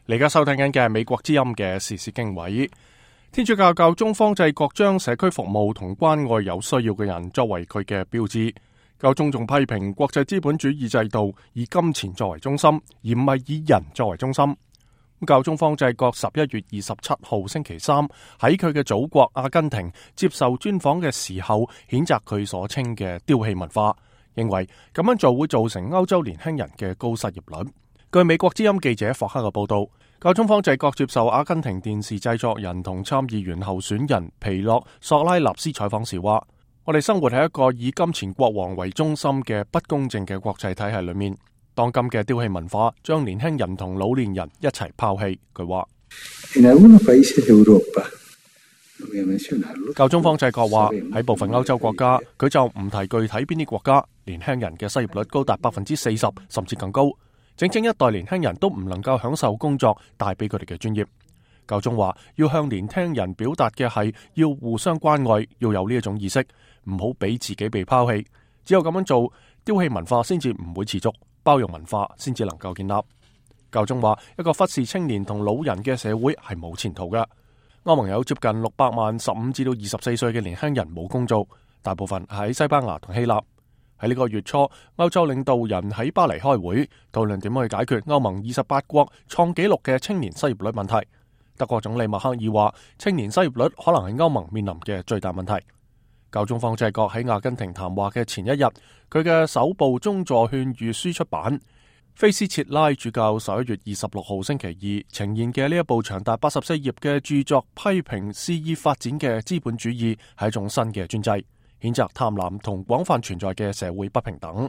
你而家收聽緊嘅係美國之音嘅時事經緯。天主教教宗方濟各將社區服務同關愛有需要嘅人作為佢嘅標誌。教宗仲批評國際資本主義制度以金錢作為中心，而唔係以人作為中心。教宗方濟各11月27號星期三喺佢嘅祖國阿根廷接受專訪嘅時候，譴責佢所稱嘅丟棄文化，認為咁樣做會造成歐洲年輕人嘅高失業率。據美國之音記者霍克嘅報道，教宗方濟各接受阿根廷電視製作人同參議員候選人皮洛索拉納斯採訪時話：我哋生活喺一個以金錢國王為中心嘅不公正嘅國際體系裏面，當今嘅丟棄文化將年輕人同老年人一齊拋棄。佢話：教宗方濟各話喺部分歐洲國家，佢就唔提具體邊啲國家，年輕人嘅失業率高達40%甚至更高。整整一代年輕人都唔能夠享受工作帶俾佢哋嘅專業。教宗話要向年輕人表達嘅係要互相關愛，要有呢一種意識，唔好俾自己被拋棄。只有咁樣做，丟棄文化先至唔會持續，包容文化先至能夠建立。教宗話一個忽視青年同老人嘅社會係冇前途嘅。歐盟有接近600萬15至到24歲嘅年輕人冇工做，大部分喺西班牙同希臘。喺呢個月初，歐洲領導人喺巴黎開會，討論點樣去解決歐盟28國創紀錄嘅青年失業率問題。德國總理默克爾話，青年失業率可能係歐盟面臨嘅最大問題。教宗方濟各喺阿根廷談話嘅前一日，佢嘅首部宗座勸諭書出版。菲斯切拉主教11月26號星期二呈現嘅呢一部長達84頁嘅著作，批評肆意發展嘅資本主義係一種新嘅專制，譴責貪婪同廣泛存在嘅社會不平等。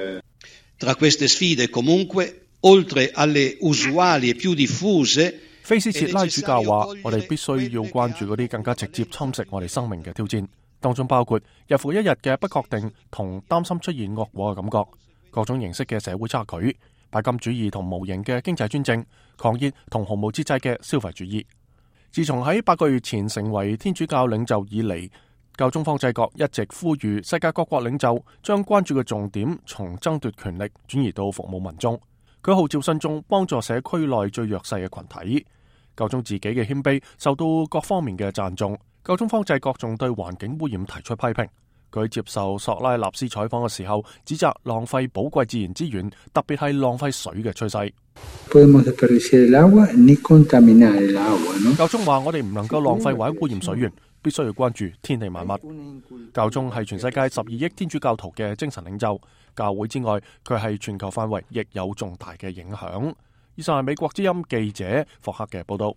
菲斯切拉主教話：我哋必須要關注嗰啲更加直接侵蝕我哋生命嘅挑戰，當中包括日復一日嘅不確定同擔心出現惡果嘅感覺，各種形式嘅社會差距，拜金主義同無形嘅經濟專政，狂熱同毫無節制嘅消費主義。自從喺8個月前成為天主教領袖以嚟，教宗方濟各一直呼籲世界各國領袖將關注嘅重點從爭奪權力轉移到服務民眾。佢號召信眾幫助社區內最弱勢嘅群體。教宗自己嘅謙卑受到各方面嘅讚頌。教宗方濟各仲對環境污染提出批評。佢接受索拉納斯採訪嘅時候，指責浪費寶貴自然資源，特別係浪費水嘅趨勢。教宗話：我哋唔能夠浪費或者污染水源，必須要關注天地萬物。教宗係全世界12億天主教徒嘅精神領袖，教會之外，佢係全球範圍亦有重大嘅影響。以上係美國之音記者霍克嘅報道。